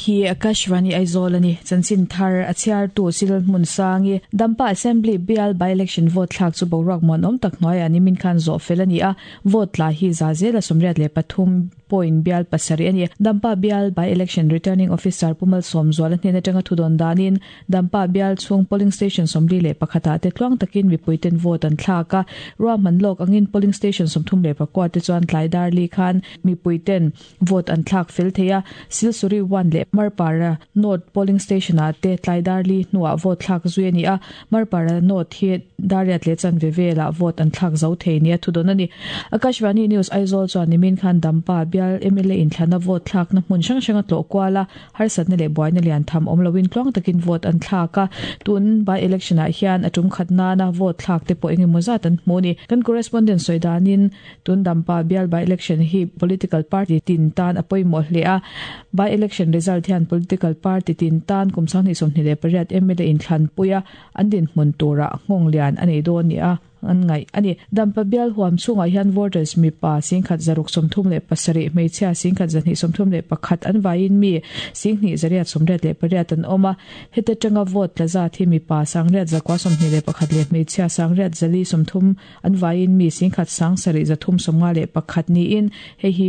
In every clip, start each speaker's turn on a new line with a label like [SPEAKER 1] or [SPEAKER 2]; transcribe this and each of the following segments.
[SPEAKER 1] hi Akashvani Aizawl a ni. Chanchin thar a chhiartu Cyril Hmunsangi, Dampa Assembly bial by-election vote thlak chu boruak muanawm tak hnuaiah nimin khan zawh fel a ni a, vote tla hi za zela 83 point bial pasarih a ni. Dampa bial by-election returning officer Pu Malsawmzuala hnen atanga thudawn danin Dampa bial chhung polling station 41 ah te tluang takin mipuiten vote an thlak a, ruahman lawk angin polling station 34 te chuan tlai dar li khan mipuiten vote an thlak fel thei a, Silsuri 1 leh Marpara North polling station ah te tlai dar li hnuah vote thlak zui a ni a, Marpara North hi Dariat leh chanve velah vote an thlak zo thei nia thudawn a ni. Akashvani News Aizawl chuan nimin khan Dampa bial mla inthlana vote thlakna hmun hrang hrang a tlawh kual a, harsatna leh buaina lian tham awm loin tluang takin vote an thlak a, tun by election ah hian a tum khat nana vote thlak te pawh engemaw zat an hmu a ni. Kan correspondent sawi danin tun Dampa bial by election hi political party tin tan a pawimawh hle a, by election result hian political party tin tan kum 2028 mla inthlanpui a, An dinhmun turah nghawng lian a nei dawn nia an ngaih a ni. Dampa bial huam chhungah hian voters mipa 10,637, hmeichhia 10,231 an vaiin mi 2,888 an awm a. Heta tanga vote tla zat hi mipa 8,921 leh hmeichhia 8,430 an vaiin mi 1,751 niin hei hi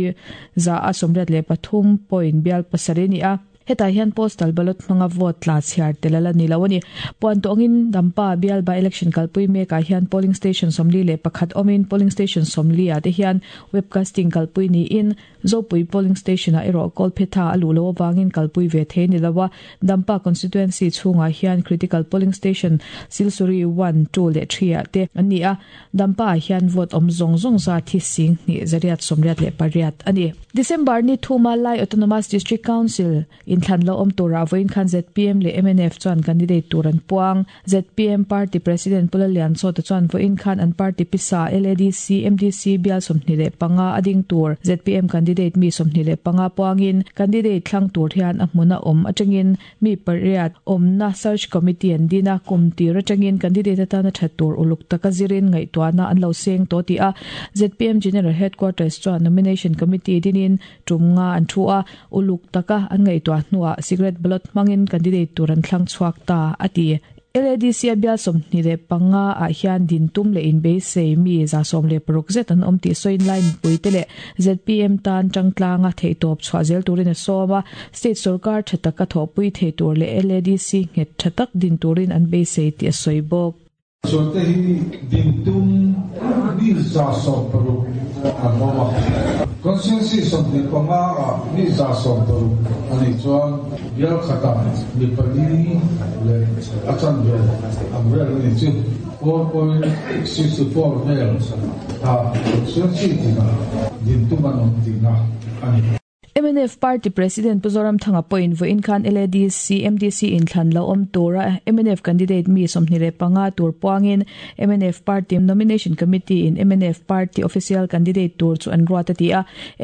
[SPEAKER 1] 83% point bial pasarih a ni a. Hetah hian postal ballot hmanga vote tla chhiar tel a la ni lo a ni. Puan tawngin Dampa bial by election kalpui mekah hian polling station 41 awmin polling station 40 ah te hian webcasting kalpui niin Zopui polling station ah erawh Kawlphetha a luh loh avangin kalpui ve thei a ni lo a. Dampa constituency chhungah hian critical polling station Silsuri one, two leh three ah te an ni a. Dampa ah hian vote awm zawng zawng zat hi 28,808 a ni. December ni thuma Lai Autonomous District Council inthlan lo awm turah vawiin khan zpm leh mnf chuan candidate tur an puang. Zpm party President Pu Lallianchawta chuan vawiin khan an party pisa LADC, MDC bial 25 a ding tur zpm candidate mi 25 puangin candidate thlang tur hian a hmun a awm atangin Mi pariat awmna search committee an din a, kum tir atangin candidate atana that tur uluk taka zirin ngaihtuahna an lo seng tawh tih a, zpm General Headquarters chuan nomination committee dinin tum nga an thu a, uluk taka an ngaihtuah hnuah secret ballot hmangin candidate tur an thlang chhuak ta, a ti. LADC a bial 25 ah hian din tum leh inbeisei mi 16 zet an awm tih sawiin lai mipuite leh zpm tan tangtlanga theihtawp chhuah zel turin a sawm a, state sorkar tha taka thawhpui thei tur leh LADC nghet tha tak din turin an beisei tih a sawi bawk.
[SPEAKER 2] Chuante hi din tum mi 160 an awm a, constituency 25 ah mi 160 a nih chuan bial khatah mi pali leh a chanve ang vel a ni chu. 4.64 vel kha constituency tinah din tum an awm tihna a ni.
[SPEAKER 1] Mnf Party President Pu Zoramthanga pawhin vawiin khan LADC, MDC inthlan lo awm tura mnf candidate mi 25 tur puangin mnf Party Nomination Committee in mnf Party official candidate tur chu an ruat a ti a,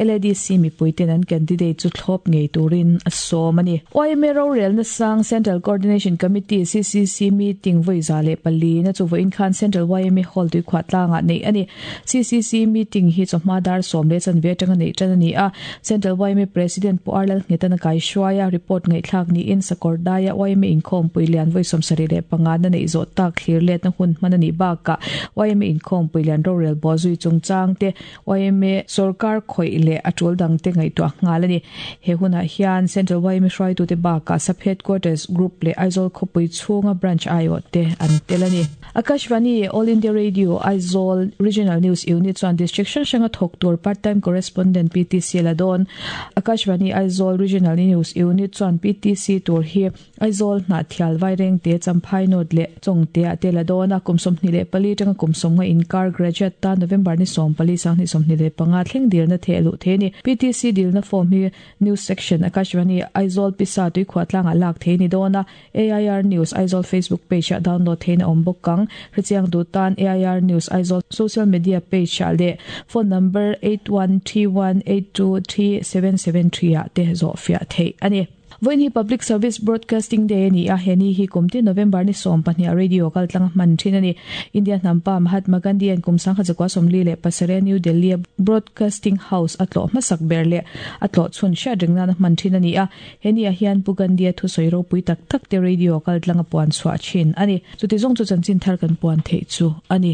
[SPEAKER 1] LADC mipuiten an candidate chu thlawp ngei turin a sawm a ni. Yma rorelna sang Central Coordination Committee, CCC, meeting vawi 104 na chu vawiin khan Central yma Hall tuikhuah tlangah neih a ni. CCC meeting hi chawhma dar sawm leh chanve atanga neih tan a ni a, Central yma President Pu Arlal Nghetan a kaihruai a, report ngaihthlak niin Sakawr daia yma inkhawmpui lian vawi 75 na neih zawh tak thlir letna hun hman a nih bakah yma inkhawmpui lian rorel bawh zui chungchang te yma sorkar khawih leh a tul dangte ngaihtuah nghal a ni. He hunah hian Central yma hruaitute bakah Sub Headquarters Group leh Aizawl khawpui chhunga branch aiawh te an tel a ni. Akashvani, All India Radio, Aizawl Regional News Unit chuan District hrang hranga thawk tur Part Time Correspondent PTC la dawn. Akashvani, Aizawl Regional News Unit chuan PTC tur hi Aizawl, Hnahthial, Vairengte, Champhai North leh Chawngte ah te la dawn a. Kum 24 tanga kum 50 inkar graduate tan November ni 14 2025 thleng dilna theh luh thei a ni. PTC dilna form hi News Section, Akashvani, Aizawl Pisa tuikhuah tlangah lak thei a ni dawn a. AIR News Aizawl Facebook page ah download theihna awm bawk ang. Hrechiang duh tan AIR News Aizawl social media page ah leh phone number 8131823773 ah te zawhfiah theih a ni. Vawiin hi Public Service Broadcasting Day a ni a, he ni hi kum tin November ni 12 ah radio kaltlang a hman thin a ni. India hnampa Mahatma Gandhi-a'n kum 1947 a New Delhi-a Broadcasting House a tlawh hmasak ber leh a tlawh chhun hriat reng nana hman thin a ni a, he ni ah hian Pu Gandhi-a thusawi ropui tak tak te radio kaltlang a puan chhuah thin a ni. Chuti zawng chu chanchin thar kan puan theih chu a ni.